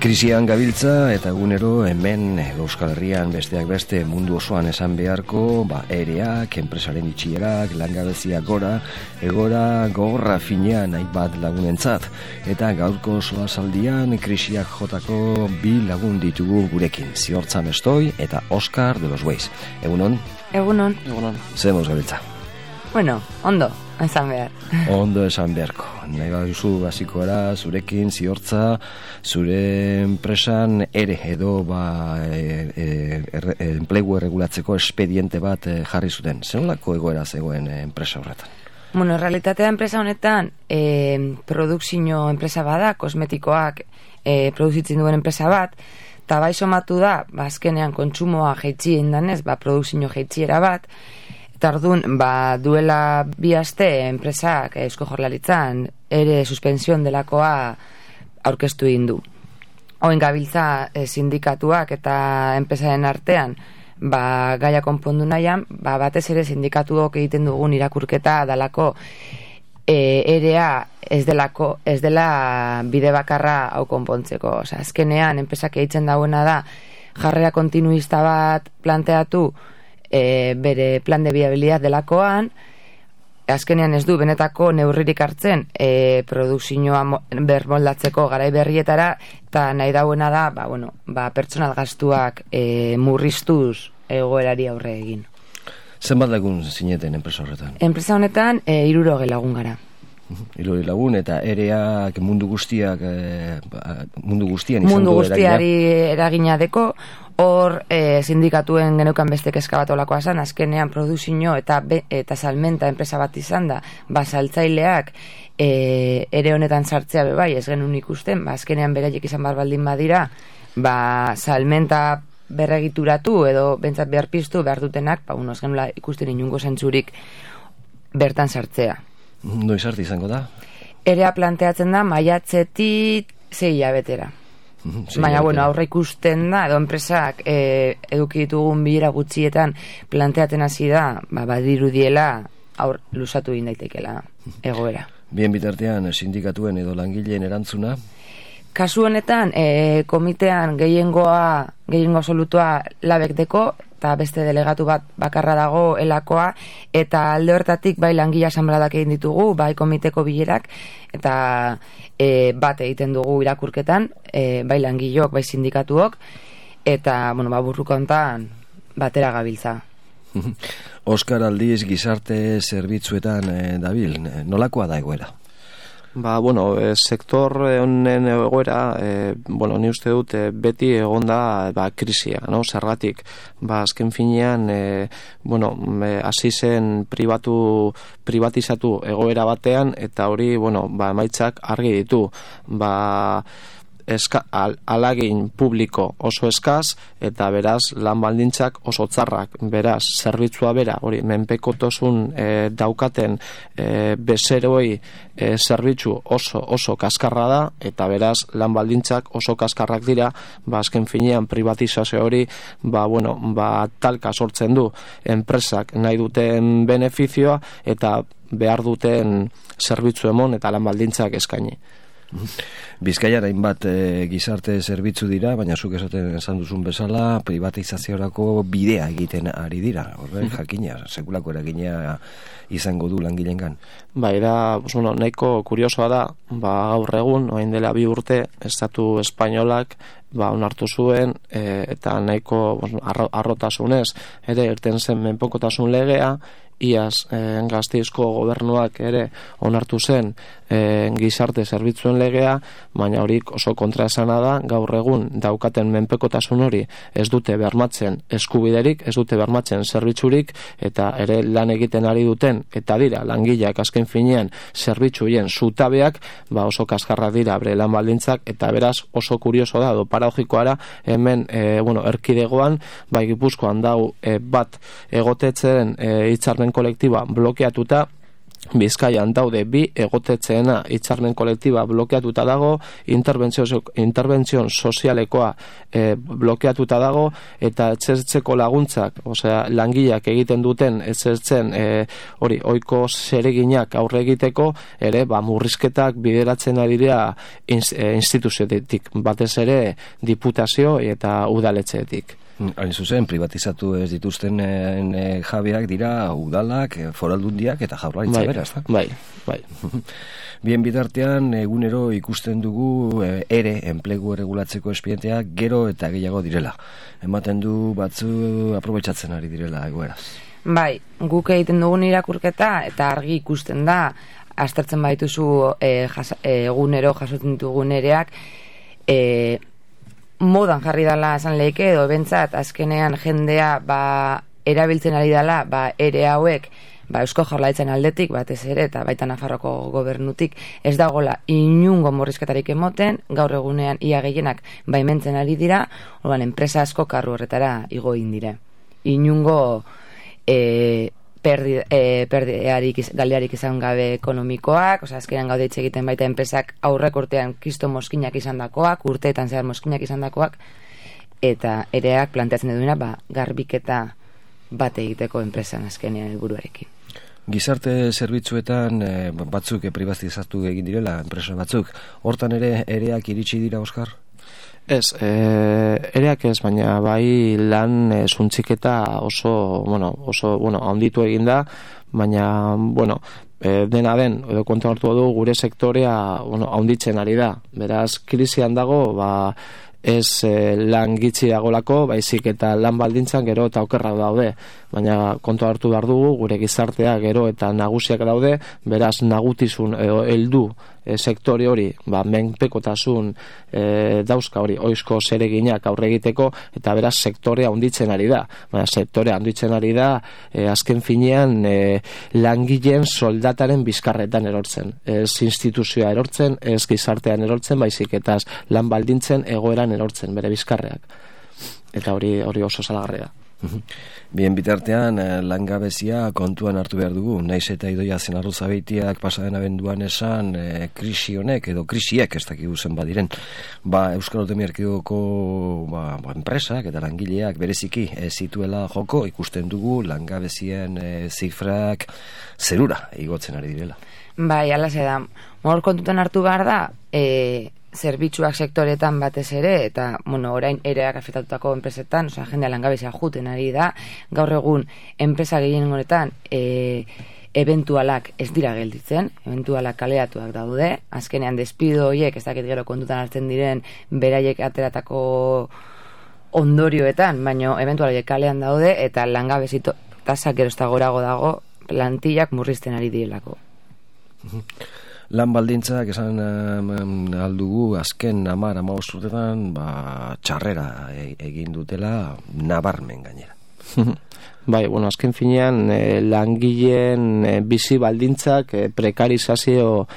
Krisian gabiltza eta egunero hemen Euskal Herrian besteak beste mundu osoan esan beharko, ereak, enpresaren itxierak, langabezia gora, egora gogorra finean hainbat lagunentzat. Eta gaurko soazaldian krisiak jotako bi lagun ditugu gurekin, Ziortza Mestoi eta Oskar de los Weiz. Egunon? Egunon. Zemoz gabiltza? Bueno, ondo, esan behar. Ondo esan beharko. Nahi baduzu hasiko gara zurekin, Ziortza, zure enpresan ere edo enplegu erregulatzeko espediente bat jarri zuten. Zenolako egoera zegoen enpresa horretan? Bueno, realitatea enpresa honetan produkzio enpresa bada, kosmetikoak produzitzen duen enpresa bat, eta bai somatu da, azkenean kontsumoa jaitsi indanez, produkzio jaitsiera bat, eta orduan, duela bi aste enpresak Eusko Jaurlaritzan ere suspension delakoa aurkeztu egin du. Oin gabiltza sindikatuak eta enpresaren artean gaia konpondu nahian, batez ere sindikatuok egiten dugun irakurketa dalako erea ez dela bide bakarra hau konpontzeko. Osea, azkenean enpresak egiten dauena da jarrera kontinuista bat planteatu bere plan de viabilidad delakoan, azkenean ez du benetako neurririk hartzen produkzioa bermoldatzeko garai berrietara, eta nahi dauena da pertsonal gastuak murriztuz egoerari aurre egin. Zenbat lagun zineten enpresa horretan? Enpresa honetan 60 lagun gara. 60 lagun eta ereak mundu guztiak mundu guztian izan mundu guztiari eragina deko. Hor sindikatuen geneukan beste kezka bat olakoa zan, azkenean produzio eta salmenta enpresa bat izan da, saltzaileak ere honetan sartzea bebai, ez genuen ikusten, azkenean beraiek izan baldin badira, salmenta berregituratu edo bentsat behar piztu behar dutenak, ez genuela ikusten inungo zentzurik bertan sartzea. Noiz arte izango da? Erea planteatzen da maiatzetik 6 hilabetera. Baina, aurre ikusten da, edo enpresak eduki ditugun bilera gutxietan planteatzen hasi da, badirudiela luzatu egin daitekela egoera. Bien bitartean, sindikatuen edo langileen erantzuna? Kasu honetan, komitean gehiengo absolutua labek deko, eta beste delegatu bat bakarra dago elakoa, eta alde hortatik bai langile asanbladak egin ditugu, bai komiteko bilerak, eta bat egiten dugu irakurketan, bai langileok, bai sindikatuok, eta burruko hontan batera gabiltza. Oskar aldiz gizarte zerbitzuetan dabil, nolakoa da egoera? Sektor honen egoera, ni uste dut beti egonda krisia, no? Zergatik, azken finean, hasi zen privatizatu egoera batean, eta hori, emaitzak argi ditu, alagin publiko oso eskaz, eta beraz lan baldintzak oso txarrak, beraz zerbitzua bera, hori menpekotasun daukaten bezeroi zerbitzu oso kaskarra da, eta beraz lan baldintzak oso kaskarrak dira, azken finean privatizazio hori talka sortzen du enpresak nahi duten benefizioa eta behar duten zerbitzu emon eta lan baldintzak eskaini. Bizkaian hainbat gizarte zerbitzu dira, baina zuk esan duzun bezala privatizaziorako bidea egiten ari dira. Horren jakina, sekulako eragina izango du langileengan. Nahiko kuriosoa da, gaur egun, orain dela 2 urte, Estatu espainolak onartu zuen eta nahiko arrotasunez ere irten zen menpekotasun legea, iaz Gasteizko gobernuak ere onartu zen gizarte zerbitzuen legea, baina horik oso kontraesana da, gaur egun daukaten menpekotasun hori ez dute bermatzen eskubiderik, ez dute bermatzen zerbitzurik, eta ere lan egiten ari duten, eta dira langileak azken finean zerbitzuien zutabeak, oso kaskarrak dira bere lan baldintzak, eta beraz oso kurioso da, paradoxikoa hemen erkidegoan, Gipuzkoan dau bat egotetzen hitzarmen kolektiba blokeatuta, Bizkaian daude 2 egotetzeena hitzarmen kolektiba blokeatuta dago, interbentzio sozialekoa blokeatuta dago, eta etxertzeko laguntzak, osea, langileak egiten duten etxertzen hori ohiko zereginak aurre egiteko ere murrizketak bideratzen ari dira instituzioetik, batez ere diputazio eta udaletxeetik. Hain zuzen, privatizatu ez dituzten jabeak dira udalak, foraldundiak eta jaurlaritza bera, ezta? Bai. Bien bitartean, egunero ikusten dugu ere enplegu erregulatzeko espedienteak gero eta gehiago direla. Ematen du batzu aprobetxatzen ari direla egoeraz. Bai, guk egiten dugun irakurketa eta argi ikusten da, aztertzen baituzu egunero jasotzen ditugun ereak, modan jarri dela esan lehike, edo bentsat azkenean jendea erabiltzen ari dela ere hauek Eusko Jaurlaritzaren aldetik batez ere eta baita Nafarroko gobernutik ez dagola inungo murrizketarik emoten, gaur egunean ia gehienak baimentzen ari dira, orduan enpresa asko karru horretara igo egin dire. Inungo galdearik izan gabe ekonomikoak, azkenean gaude hitz egiten baita enpresak aurrek urtean kisto moskinak izandakoak, urteetan zehar moskinak izandakoak, eta ereak planteatzen duena garbiketa bat egiteko enpresan azkenean helburuarekin. Gizarte zerbitzuetan batzuk privatizatu egin direla, enpresa batzuk, hortan ere ereak iritsi dira, Oskar? Ez, ereak ez, baina bai lan suntziketa oso handitu egin da, baina, dena den, edo kontu hartu du, gure sektorea handitzen ari da. Beraz, krisian dago, ez lan gitxi dagolako, baizik eta lan baldintzan gero eta okerra daude. Baina kontu hartu behar dugu, gure gizartea gero eta nagusiak daude, beraz nagutizun heldu sektore hori, menpekotasun dauzka hori, oizko zereginak aurre egiteko, eta beraz sektorea handitzen ari da. Baina sektorea handitzen ari da, azken finean langileen soldataren bizkarretan erortzen. Ez instituzioa erortzen, ez gizartean erortzen, baizik eta lan baldintzen egoeran erortzen, bere bizkarreak. Eta hori oso salagarria da. Bien bitartean, langabezia kontuan hartu behar dugu, naiz eta Idoia Zenarruzabeitiak pasaden abenduan esan krisi honek edo krisiek ez dakigu zen badiren. Euskal Autonomia Erkidegoko enpresak eta langileak bereziki zituela joko, ikusten dugu langabezien zifrak zerura igotzen ari direla. Bai, alaxe da. Hor kontutan hartu behar da, zerbitzuak sektoretan batez ere, eta, orain ereak afektatutako enpresetan, jendea langabezia juten ari da, gaur egun enpresa gehien honetan eventualak ez dira gelditzen, eventualak kaleatuak daude, azkenean despido horiek, ez dakit gero kontutan hartzen diren, beraiek ateratako ondorioetan, baina eventual horiek kalean daude, eta langabezi tasak gero ez da gorago dago, plantillak murrizten ari direlako. Lan baldintzak esan aldugu azken 10-15 urtetan txarrera egin dutela nabarmen gainera. Bai, azken finean langileen bizi baldintzak prekarizazio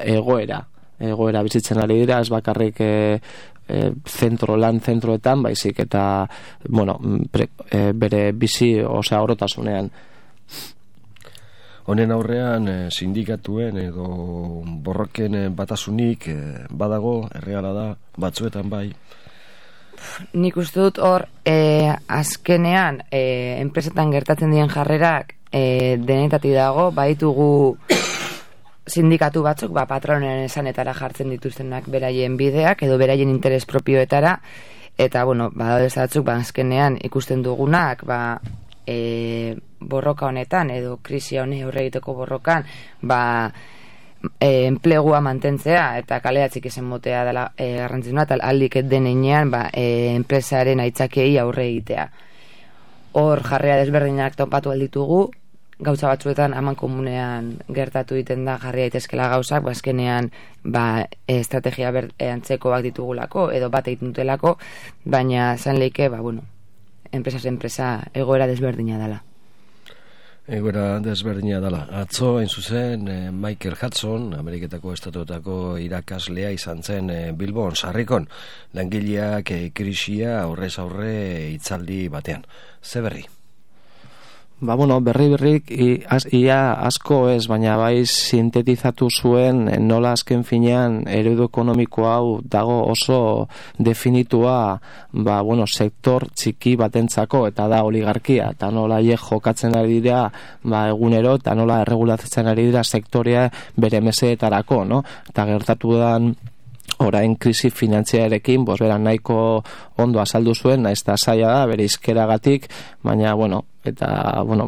egoera bizitzen ari dira, ez bakarrik zentroetan, baizik eta bere bizi orotasunean. Honen aurrean sindikatuen edo borroken batasunik badago, erreala da, batzuetan bai. Nik uste dut hor azkenean enpresetan gertatzen diren jarrerak denetatik dago, baditugu sindikatu batzuk patronen esanetara jartzen dituztenak beraien bideak edo beraien interes propioetara, eta badaude batzuk azkenean ikusten dugunak borroka honetan edo krisi honi aurre egiteko borrokan enplegua mantentzea eta kaleatzik ezen motea dela garrantzitsuna, eta aldik denean enpresaren aitzakei aurre egitea. Hor jarrea desberdinak topatu alditugu, gauza batzuetan aman komunean gertatu egiten da jarri daitezkela gauzak, azkenean estrategia antzekoak ditugulako edo bat egiten dutelako, baina zan leike, enpresa egoera desberdina dela. Egoera desberdina dela. Atzo, hain zuzen, Michael Hudson, Ameriketako estatuetako irakaslea izan zen Bilbon, Sarrikon, langileak krisia aurrez aurre hitzaldi batean. Ze berri? Berrik ia asko ez, baina bai sintetizatu zuen nola azken finean eredu ekonomiko hau dago oso definitua sektor txiki batentzako, eta da oligarkia, eta nola jokatzen ari dira egunero, eta nola erregulatzen ari dira sektorea bere mesedetarako, no? Eta gertatu dan orain krisi finantziarekin, beran nahiko ondo azaldu zuen, naiz eta zaila da, bere izkeragatik, baina,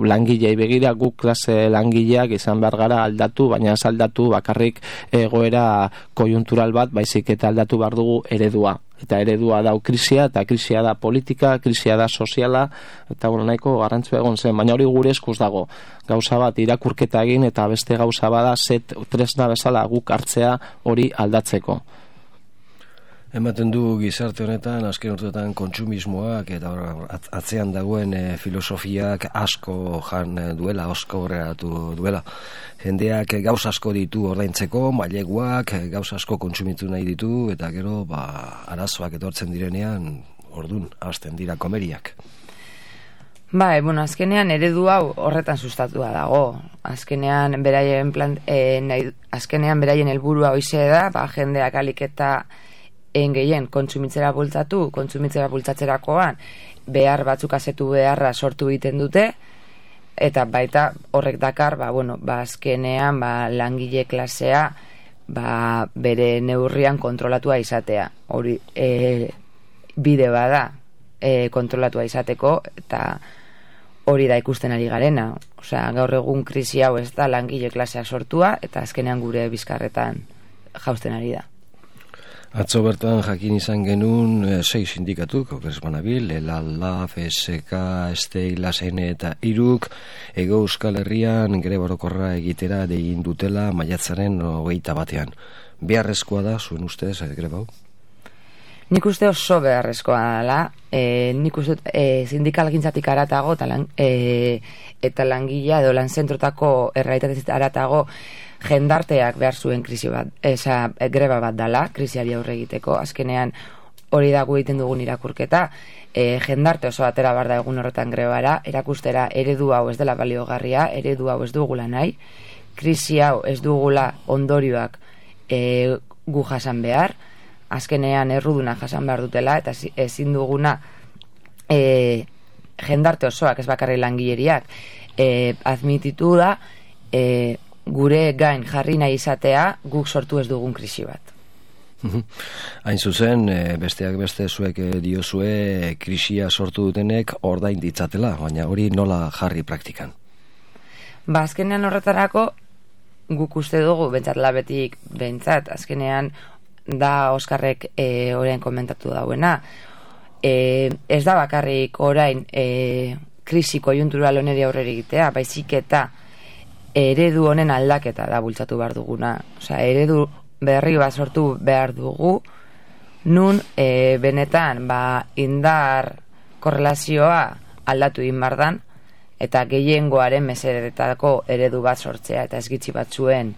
langilei begira, guk klase langileak izan behar gara aldatu, baina ez aldatu bakarrik egoera kojuntural bat, baizik eta aldatu behar dugu eredua. Eta eredua da krisia, eta krisia da politika, krisia da soziala, eta nahiko garrantzua egon zen, baina hori gure eskuz dago. Gauza bat irakurketa egin, eta beste gauza bada tresna bezala guk hartzea hori aldatzeko. Ematen du gizarte honetan, azken urteetan kontsumismoak eta atzean dagoen filosofiak asko jan duela, asko horreatu duela. Jendeak gauz asko ditu ordaintzeko, maileguak gauz asko kontsumitu nahi ditu, eta gero arazoak etortzen direnean, ordun hasten dira komeriak. Azkenean eredu hau horretan sustatua dago. Azkenean beraien helburua hoize da, jendeak alik eta gehien kontsumitzera bultzatzerakoan behar batzuk asetu beharra sortu egiten dute, eta baita horrek dakar azkenean langile klasea bere neurrian kontrolatua izatea. Hori bide bada kontrolatua izateko, eta hori da ikusten ari garena. Gaur egun krisi hau ez da langile klaseak sortua, eta azkenean gure bizkarretan jausten ari da. Atzo bertan jakin izan genuen 6 sindikatuk, okeres banabil, LAB, FSK, STEI, LASN eta IRUK, Hego Euskal Herrian greba orokorra egitera egin dutela maiatzaren 21. Beharrezkoa da, zuen ustez, greba hau? Nik uste oso beharrezkoa dela, nik uste sindikalgintzatik aratago eta langilea edo lanzentrotako errealitatetik aratago jendarteak behar zuen greba bat dela, krisiari aurre egiteko. Azkenean hori da gu egiten dugun irakurketa, jendarte oso atera bar da egun horretan grebara, erakustera eredu hau ez dela baliogarria, eredu hau ez dugula nahi, krisi hau ez dugula ondorioak gu jasan behar, azkenean erruduna jasan behar dutela, eta ezin duguna jendarte osoak, ez bakarri langileriak, admititu da gure gain jarri nahi izatea guk sortu ez dugun krisi bat. Hain zuzen, besteak beste zuek diozue krisia sortu dutenek ordain ditzatela, baina hori nola jarri praktikan? Azkenean horretarako guk uste dugu, bentsat labetik bentsat, azkenean da Oskarrek orain komentatu dauena. Ez da bakarrik orain krisi kojuntural honeri aurrera egitea, baizik eta eredu honen aldaketa da bultzatu behar duguna. Eredu berri bat sortu behar dugu, nun benetan indar korrelazioa aldatu egin behar dan, eta gehiengoaren mesedetako eredu bat sortzea, eta ez gitxi batzuen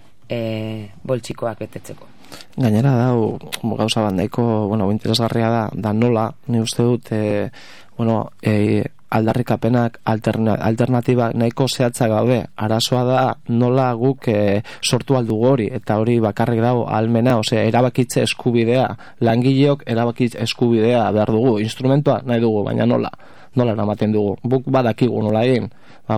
boltsikoak betetzeko. Gainera dau, gauza bat nahiko, interesgarria da nola, ni uste dut, aldarrikapenak alternatiba nahiko zehatzak gabe. Arazoa da nola guk sortu aldugu hori, eta hori bakarrik dago ahalmena, erabakitze eskubidea, langileok erabakitze eskubidea behar dugu, instrumentua nahi dugu, baina nola eramaten dugu, buk badakigu nola egin,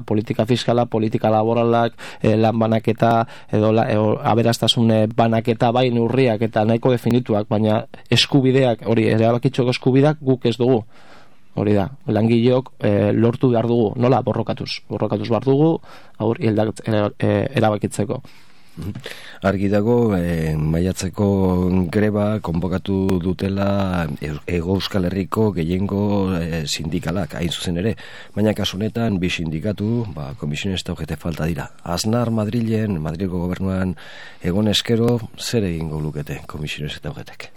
politika fiskala, politika laboralak, lan banaketa edo aberastasun banaketa bai neurriak eta nahiko definituak, baina eskubideak, hori erabakitzeko eskubideak guk ez dugu. Hori da, langileok lortu behar dugu, nola borrokatuz behar dugu, hori erabakitzeko. Argi dago, maiatzeko greba konbokatu dutela Hego Euskal Herriko gehiengo sindikalak, hain zuzen ere, baina kasunetan bi sindikatu, komisiones eta ojete falta dira. Aznar Madrilgo gobernuan egon eskero, zer egingo lukete komisiones eta ojetek?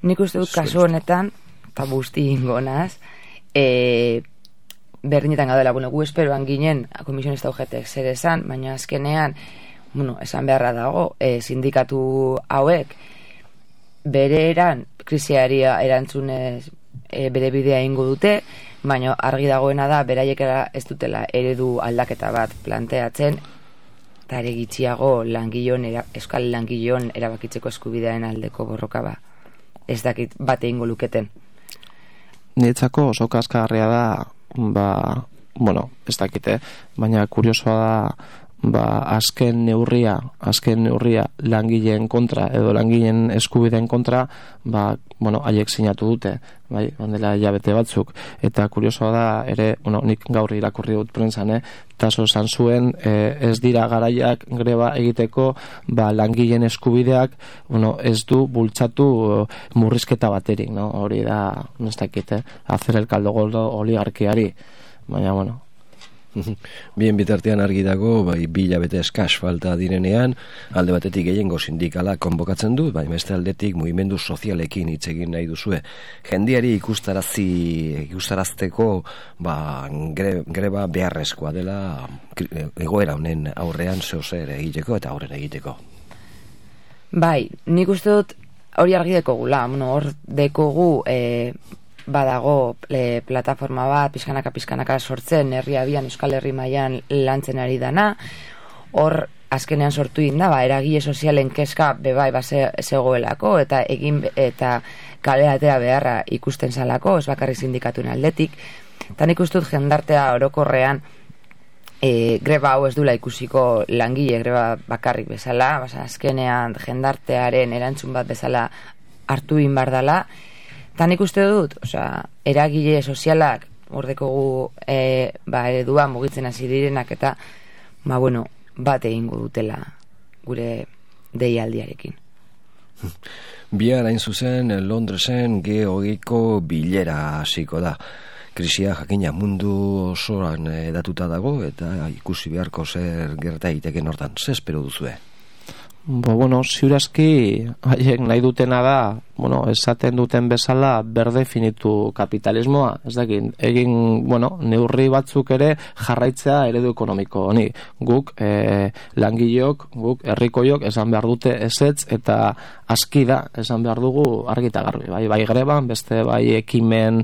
Nik uste dut kasu honetan, eta busti ingonaz, berdinetan gaudela, gu esperoan ginen komisiones eta ojetek zer esan, baina azkenean esan beharra dago, sindikatu hauek bere krisiari erantzunez bere bidea ingo dute, baina argi dagoena da, beraiek ez dutela eredu aldaketa bat planteatzen, eta ere gitxiago euskal langileon erabakitzeko eskubidearen aldeko borroka ba. Ez dakit bat egingo luketen. Niretzako oso kaskarria da, ez dakite, baina kuriosoa da, azken neurria langileen kontra edo langileen eskubideen kontra, haiek sinatu dute, bai, ondela hilabete batzuk, eta kuriosoa da ere, nik gaur irakurri dut prentsan, taso esan zuen, ez dira garaiak greba egiteko, langileen eskubideak, ez du bultzatu murrizketa baterik, hori da, ez dakite, hacer el caldo gordo oligarkiari, baina, Bien bitartean argi dago, bi hilabete eskas falta direnean, alde batetik gehiengo sindikala konbokatzen du, beste aldetik mugimendu sozialekin hitz egin nahi duzue. Jendiari ikustarazteko greba beharrezkoa dela egoera honen aurrean zeozer egiteko eta aurren egiteko. Bai, nik uste dut hori argi dekogula, hor dekogu badago plataforma bat pizkanaka sortzen herri abian Euskal Herri mailan lantzen ari dana, hor azkenean sortu da, eragile sozialen kezka bebai zegoelako eta kale atera beharra ikusten zalako, ez bakarrik sindikatuen aldetik, eta nik uste dut jendartea orokorrean greba hau ez dula ikusiko langile greba bakarrik bezala, azkenean jendartearen erantzun bat bezala hartu inbardala. Eta nik uste dut, eragile sozialak ordekogu eredua mugitzen hasi direnak eta bat egingo dutela gure deialdiarekin. Bihar hain zuzen Londresen G20ko bilera hasiko da. Krisia jakina mundu osoan edatuta dago eta ikusi beharko zer gerta egiteken hortan. Zer espero duzue? Ziurazki haiek nahi dutena da, esaten duten bezala berdefinitu kapitalismoa, ez dakit, neurri batzuk ere jarraitzea eredu ekonomiko honi. Guk langileok, guk herrikoiok esan behar dute ezetz eta aski da esan behar dugu argita garbi, bai greban, beste bai ekimen,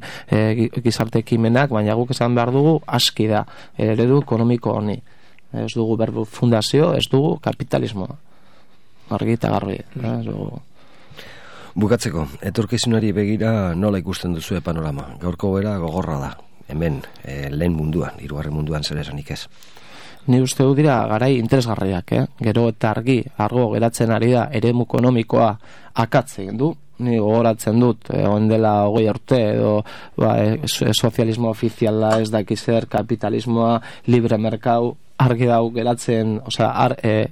gizarte ekimenak, baina guk esan behar dugu aski da eredu ekonomiko honi. Ez dugu fundazio, ez dugu kapitalismoa. Argita garbi. Bukatzeko, etorkizunari begira nola ikusten duzue panorama? Gaurko bera gogorra da, hemen, lehen munduan, hirugarren munduan zer esanik ez. Ni uste du dira garai interesgarriak, gero eta argo geratzen ari da eremu ekonomikoa akatzen du. Ni gogoratzen dut, dela 20 urte edo sozialismo ofiziala ez dakizer, kapitalismoa, libre merkau, argi dau geratzen,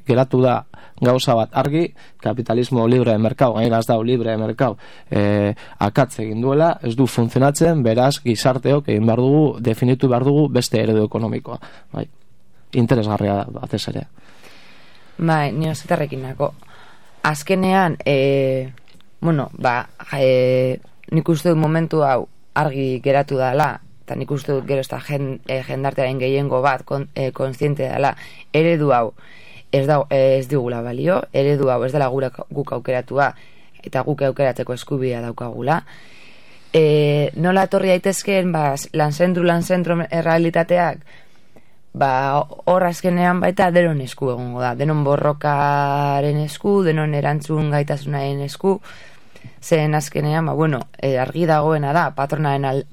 geratu da gauza bat argi, kapitalismo libre merkau, gainera ez dau libre merkau, akatze egin duela, ez du funtzionatzen, beraz gizarteok egin behar dugu, definitu behar dugu beste eredu ekonomikoa. Interesgarria da, batez ere. Ni osetarrekin nako. Azkenean, nik uste dut momentu hau argi geratu dela, eta nik uste dut gero ez da jendartearen gehiengo bat kontziente dela, eredu hau ez digula balio, eredu hau ez dela guk aukeratua eta guk aukeratzeko eskubidea daukagula. Nola etorri daitezkeen lan-zentro errealitateak, hor azkenean baita denon esku egongo da, denon borrokaren esku, denon erantzun gaitasunaren esku, zen azkenean, argi dagoena da, patronaren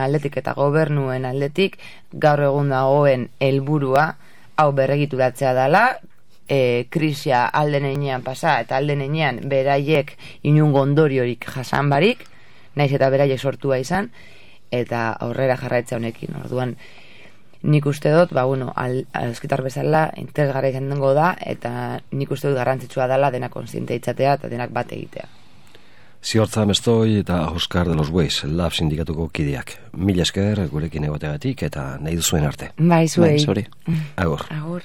aldetik eta gobernuen aldetik, gaur egun dagoen helburua hau berregituratzea dela, krisia alden enean pasa eta alden enean beraiek inungo ondoriorik jasan barik, naiz eta beraiek sortua izan, eta aurrera jarraitza honekin. Orduan, nik uste dut, euskitar bezala interesgarria izan dengo da, eta nik uste dut garrantzitsua dela denak kontziente itzatea eta denak bat egitea. Ziortza Mestoi eta Oscar de los Bueyes, Lab sindikatuko kideak. Mila esker gurekin egoteagatik eta nahi duzuen arte. Bai, zuei. Agur. Agur.